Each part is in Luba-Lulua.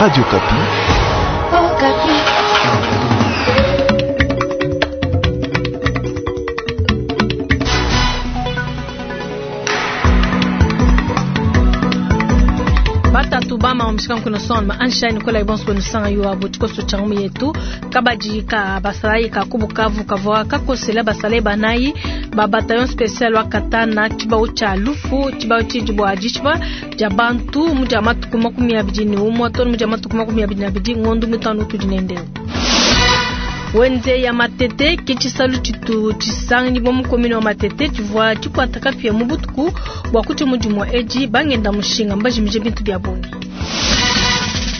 Radio Okapi. Oh, Okapi. Batatu bama omishika nkuno son anshine kola ibonso kwenu sanga yo abo tikoso changu yetu kabadi ka basalai ka kubukavu kavwa kakosela basalai banayi ba bataillon spécial wa katana chibao cha lufu chibao chijibwa ajichba ja bantu muja matuku 21 tonu muja matuku 22 ngondu mutanu tudinendeo wenze ya matete ke tshisalu tshitu tshisangibwa mu komine wa matete tshivua tshikwata kapia mu butuku bua kutshia mudimu wa edi bangenda mushinga mbajimije bintu bia bungi.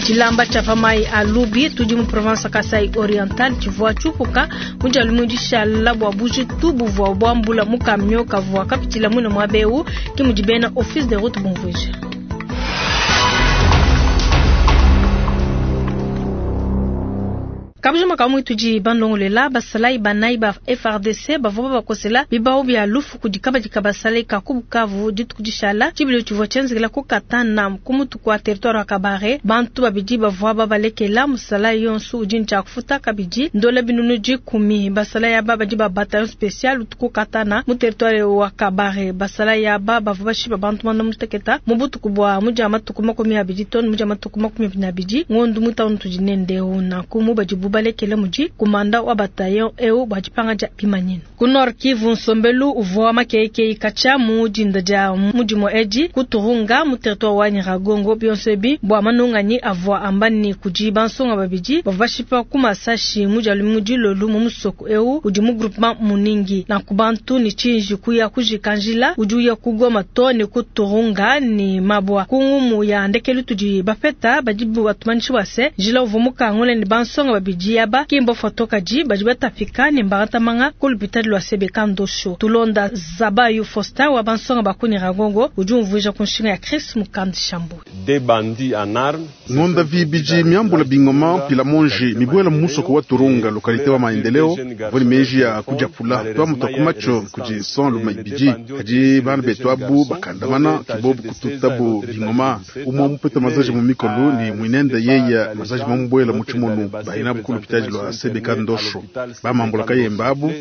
Tshilamba tshia pa mayi a Lubi tudi mu province Kasai Oriental tshivua tshiupuka mu dia lumingu dishala bua bujitu buvua buambula mu camion kavua kapitshila muine muaba eu, ke mudi bena office de route bumvuija. Kabujima ka mwitu di bandongolela basalayi banayi ba FARDC bavua babakosela bibau bia lufu kudi kabadi ka basalayi ka ku Bukavu dituku dishala. Tshibilu tshivua tshienzekela ku Katana ku mutu kua territoire wa Kabare. Bantu babidi bavua babalekela, musalayi yonso udi ne tshia kufuta kabidi ndola 10.000. Basalayi aba badi ba bataillon spécial utu ku Katana mu territoire wa Kabare. Basalayi aba bavua bashipa bantu 56 mu butuku bua mudia matuku 20 tonu mudia matuku 22 ngondu mutanu tudi nendeu nanku mu badibu balekele mudi kumanda wa bataillon eu bua dipanga dia bimanyinu. Ku Nord Kivu nsombelu uvua makeikei katshia mu dinda dia mudimu edi ku Turunga mu territoire wa Nyiragongo. Bionso ebi bua manunganyi avua amba ne kudi bansonga babidi bavua bashipa ku masashi mu dia lumingu dilolu mu musoko eu udi mu groupement Muningi. Nanku bantu ne tshinji kuya kujika njila udi uya ku Goma to ne ku Turunga ne mabua. Ku ngumu ya ndekelu tudi bapeta badi batumanyisha bua se njila uvua mukangula ne bansonga babidi aba kimbo foto kadi badi batapika ne mbatamanga ku lupitadi lua Sebeka Ndosho. Tulonda Zabayu Faustin wa bansonga ba ku Nyiragongo udi umvuija ku nshinga ya Chris Mukandi Shambu. Des bandits en armes. Ngonda vibiji miambula bingoma pila monji mibuela musoko wa Turunga lokalite wa maendeleo voni meji ya kujapula twa mutakumacho kuji son luma ibiji kadi bana betu abu bakandamana kibobu kututabu bingoma umwe mupeta mazaji mu mikolu ni mwinenda yeya mazaji mambuela mu chimonu baina bukulu lupitadi lwa Sebeka Ndosho bamambula kayemba abu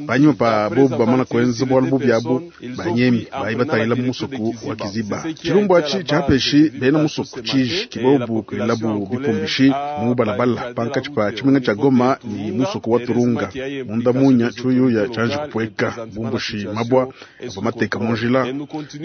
banyuma pa bobu bamana kwenza bwalu bubi abu banyemi bayi batangila mu musoko wa Kiziba. Chilumbu achi chapeshi bena musoko chiji kibobu kwilabu bipumbishi mu balabala pankatshi pa chimenga cha Goma ni musoko wa Turunga munda munya chuyuya chaji kupweka bumbushi mabwa abamateka munjila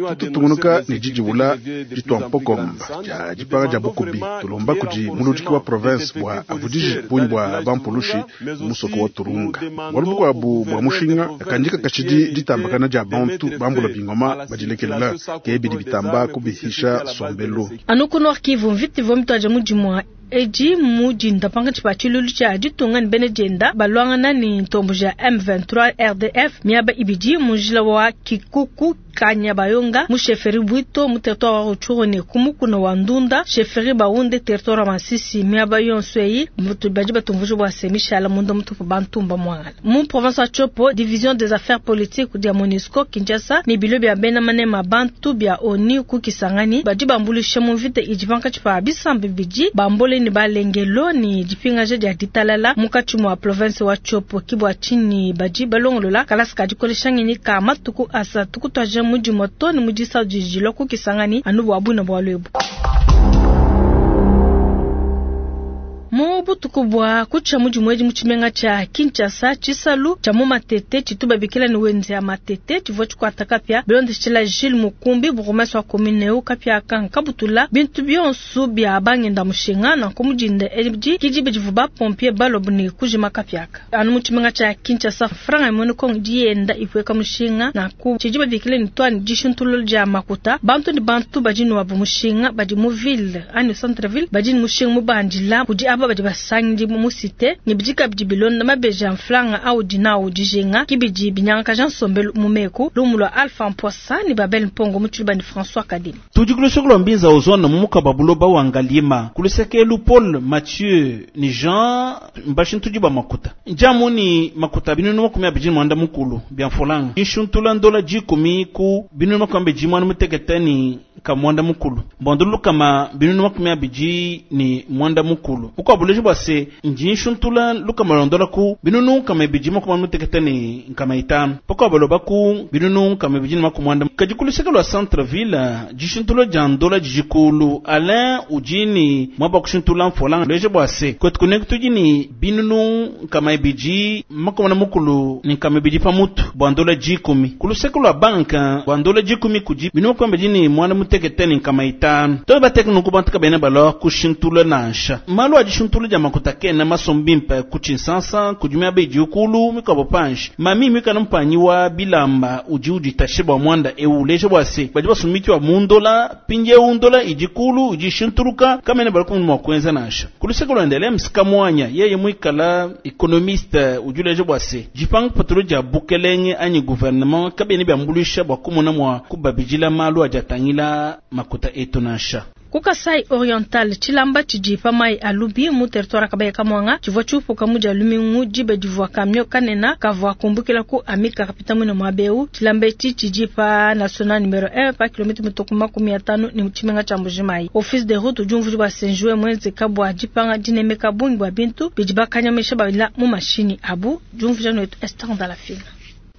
tututungunuka ni jijibula jitwa mpokomba ja jipanga ja bukubi tulomba kuji muludiki wa province bwa avudiji bunyi bwa bampulushi musoko wa Turunga bwalu bukwabu bwa mushinga kanjika kashidi ditambakana ja bantu bambula bingoma badilekelela kebidi bitamba kubihisha sombelu. Anu ku Nord Kivu mvita ivua mituadija mudimu edi mu dinda pankatshi pa tshilulu tshia ditunga ne bena dienda balwangana ne ntombo ja M23 RDF miaba ibidi mu njila wa Kikuku Kanyabayonga mu chefferie Bwito mu territoire wa Rutshuru ne ku mukuna wa Ndunda chefferie Bahunde territoire wa Masisi. Miaba yonso eyi badi batumvuja bua se mishala munda mutupu bantumba mwangala. Mu province wa Tshopo division des affaires politiques dia MONUSCO Kinshasa ne bilo bia bena manema bantu bia ONU ku Kisangani badi bambulisha mu mvita idi pankatshi pa bisambi bidi bambole ne balengelo ni dipingaja dia ditalala munkatshi mua province wa Tshopo. Kibwa tshini badi balongolola kalasa ka dikolesha ngenyi ka matuku asatu kutuadija mudimu to ne mudisa dijilo ku Kisangani anu bua buna bua lwebu. Mu butuku bua kutshia mudimu edi mu tshimenga tshia Kinshasa tshisalu tshia mu Matete tshitu babikila ne wenze ya Matete tshivua tshikwata kapia bilondeshela Gilles Mukumbi bourgmestre wa commune eu kapia kankabutula bintu bionso bia bangenda mushinga nanku mudinda edi kidi badivu ba pompier balobu ne kujima kapiaka. Anu mu tshimenga tshia Kinshasa franga imone kongo dienda ipweka mushinga nanku tshidi babikila ne twani dishintululo dia makuta bantu ne bantu badi ne wabu mushinga badi mu ville ani centre ville badi ne mushinga mubandila kudi aba badi basangidi mu site ne bidi kabidi bilonda mabeji a mfranga audi nawu dijinga, ke bidi binyangakaja nsombelu mu meku. Lumu lua Alpha Mposa ne Babel Mpongo mu tshiluba ne François Kadima. Tudi ku luseke lua Mbinza Ozone mu mukaba buloba wa Ngaliema, ku luseke elu Paul, Mathieu ne Jean mbashintudi ba makuta. Njamu ni makuta 240 bia mfolanga. Inshuntula ndola 10 ku 286 ne 90. Mbondulu 290. Ukwa buleji bua se ndi nshuntula lukama lwa ndola ku 255 500. Pakwa baloba ku 290. Kadi ku luseke lua centre ville dishuntula dia ndola dijikulu Alain udi ni mwaba kushuntula mfolanga leje bua se kwetu kunengu tudi ni 290 ne 200 pamutu bua ndola 10. Ku luseke lua banka bua ndola 10 kudi 285 500. To bateka nunku bantu kabena balwa kushintula nansha. Malu a dishuntula dia makuta kena masombi mpe ku Tshinsansa, kudi miaba idi ukulu mikuabo panshi. Mami mikana mpanyi wa bilamba udi uditashe bua mwanda ewu uleje bua se badi basumiki wa mundola pindi ewu ndola idi kulu idi shintuluka kamene bali kumwe mua kuenza nansha. Ku luseke lua ndele msika mwanya yeye mwikala économiste udi uleje bua se dipanga patulu dia bukelenge anyi gouvernement kabene biambuluisha bua kumona mua kubabidila malu adi atangila makuta etu nansha. Ku Kasai Oriental, tshilamba tshidi pa mai a Lubi mu territoire Kabaye Kamwanga tshivua tshiupuka mu dia lumingu diba divua camion kanena kavua kumbukila ku Amika kapita mwina muaba eu. Tshilamba etshi tshidi pa national numero 1 pa kilomètre mitoko 50 ne tshimenga tshia Mbujimayi. Office de route udi umvuija bua senjwe mwenzeka bua dipanga dinemeka bungi bua bintu bidi bakanyamisha babila mu mashini abu. Diumvuija netu Esther Ndalafina.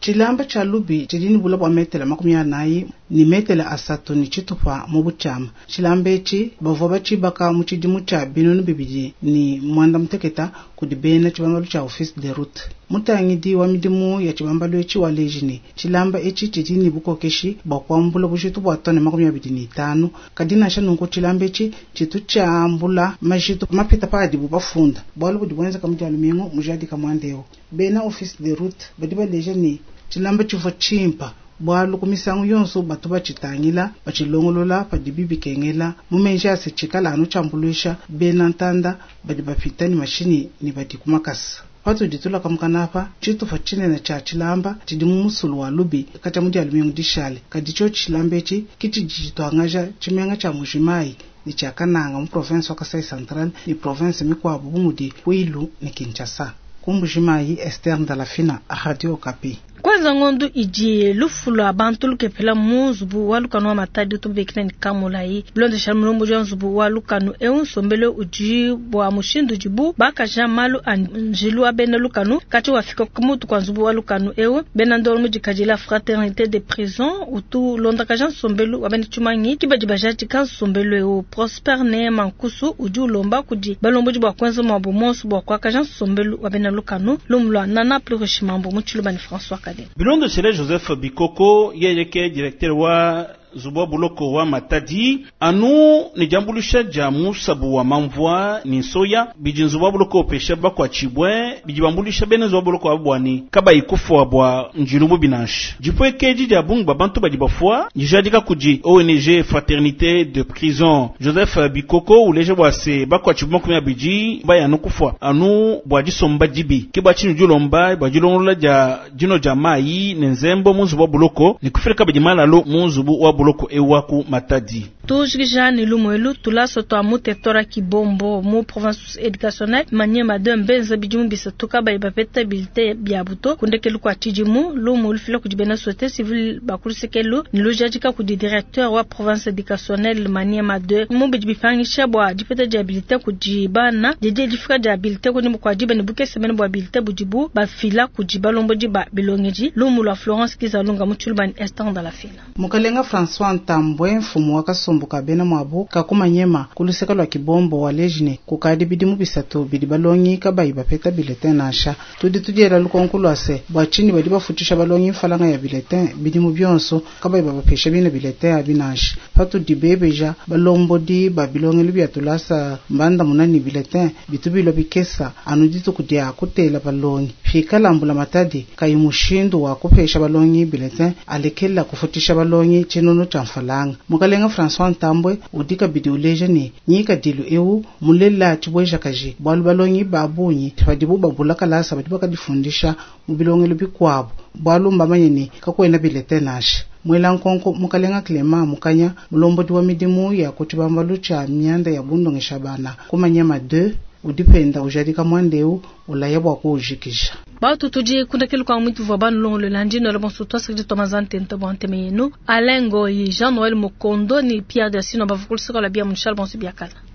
Tshilamba tshia Lubi tshidi ne bula bua metele 40 ne metele 3 ne tshitupa mu butshiama. Tshilamba etshi bavua batshibaka mu tshidimu tshia 2016 kudi bena tshibambalu tshia office de route. Mutangidi wa midimu ya tshibambalu etshi wa leji ne tshilamba etshi tshidi ne bukokeshi bua kuambula bujitu bua tone 25. Kadi nansha nunku tshilamba etshi tshitu tshiambula majitu mapita pa adibu bafunda. Bualu budi buenzeka mu dia lumingu mujadika muanda eu. Bena office de route badi baleja ne tshilamba tshivua tshimpa bualu ku misangu yonso batu batshitangila batshilongolola padibi bikengela mu menji a se tshikala anu tshiambuluisha bena ntanda badi bapita ne mashinyi ne badi ku makasa. Patudi tulaka mukana apa tshitupa tshinene tshia tshilamba tshidi mu musulu wa Lubi katshia mu dia lumingu dishale. Kadi tshiotshi tshilamba etshi ke tshidi tshituangaja tshimenga tshia Mbujimayi ne tshia Kananga mu province wa Kasai Central ne province mikuabu bu mudi Kwilu ne Kinshasa. Ku Mbujimayi, Esther Ndalafina, Radio Okapi. Kwanza ngondo idi lufu lwa bantu lukepela mu nzubu wa lukanu wa Matadi utubikila ni Kamulayi. Bilondesha mulombo wa nzubu wa lukanu eu nsombelo udi bua mushindu udibu bakaja malu a njilu wa bena lukanu kati wafika ku mutu kwa nzubu wa lukanu eu bena ndolo mudikadila fraternité de prison utu londakaja nsombelo wa bena tshimangi kibadi bajatika nsombelo eu Prosper ne Mankusu udi ulomba kudi balombodi bua kwenza mwabu monso bua kuakaja nsombelo wa bena lukanu lumulwa nana plus mambo mu tshiluba ni François Kade. Bilondo sele Joseph Bikoko yeye ke directeur wa nzubu wa buloko wa Matadi anu ni diambuluisha dia musabu wa mamvua ni nsoya bidi nzubu wa buloko opesha bakuatshibue bidi bambuluisha bena nzubu wa buloko abu bua kabayi kufua bua njilu bubi nansha. Dipuekeji dia bungi ba bantu badi bafua dijadika kudi ONG Fraternité de Prison. Joseph Bikoko uleja bua se bakuatshibue 20 baya anu kufua anu bua disomba dibi ke bua tshinu dilomba bua dilongolola dia dino dia mayi ne nzembo mu nzubu wa buloko ne kufika badi malalo mu nzubu wa buloko ewa ku Matadi. Tujikija ni lumuelu tulaso twa mu territoire Kibombo mu province éducationnelle Maniema de Mbenza bidimu bisatu kabayi bapeta bulletin bia buto kundekelu kwa tshidimu lumu lufila kudi bena société civile bakulusekelu ni lujadika kudi directeur wa province éducationnelle Maniema 2 mu bidi bipangisha bua dipeta dia bulletin kudi bana didi difika dia bulletin kudi kwa diba ne bukese bene bua bulletin budibu bafila kudi balombodi ba bilongeji lumu lwa Florence Kizalunga mu Tshiluba ni Esther Ndalafina. Mukalenga François Ntambwe mfumu wa kasumbu ka bena mwabu kakumanyema kuluseka lwa Kibombo wa lejine kukadi bidimu bisatu bidi balongi kabayi bapeta bulletin nansha. Tudi tudiela lukonko lwa se bua tshinyi badi bafutisha balongi mfalanga ya bulletin bidimu bionso kabayi babapesha bina bulletin abi nansha. Patudi bebeja balombodi ba bilongelu bia tulasa mbanda munani bulletin bitu bilua bikesa anu dituku dia kutela balongi. Pikala mbula matadi kayi mushindu wa kupesha balongi bulletin alekela kufutisha balongi tshinunu tshia mfalanga. Mukalenga François L'Enfant Ntambwe udi kabidi uleja ne, ngikadilu eu mulela tshibuejakaji bualu balongi ba bungi padibu babula kalasa badi bakadifundisha mu bilongelo bikuabu bualu mbamanye ne kakuena bulletin nansha. Muela nkonko Mukalenga Clement Mukanya, mulombodi wa midimu ya ku tshibambalu tshia mianda ya bundongesha bana ku Maniema 2, udi penda ujadika muanda eu ulaya bua kuujikija. Batu tudi kundekelu kwa mwitu vwa banu longolo landi no bonso twasakidi twamazante nto bwa nteme yenu Alain Ngoyi, Jean Noël Mokondo ni Pierre Dasino bavukulu sokola bia munshala bonso biakala.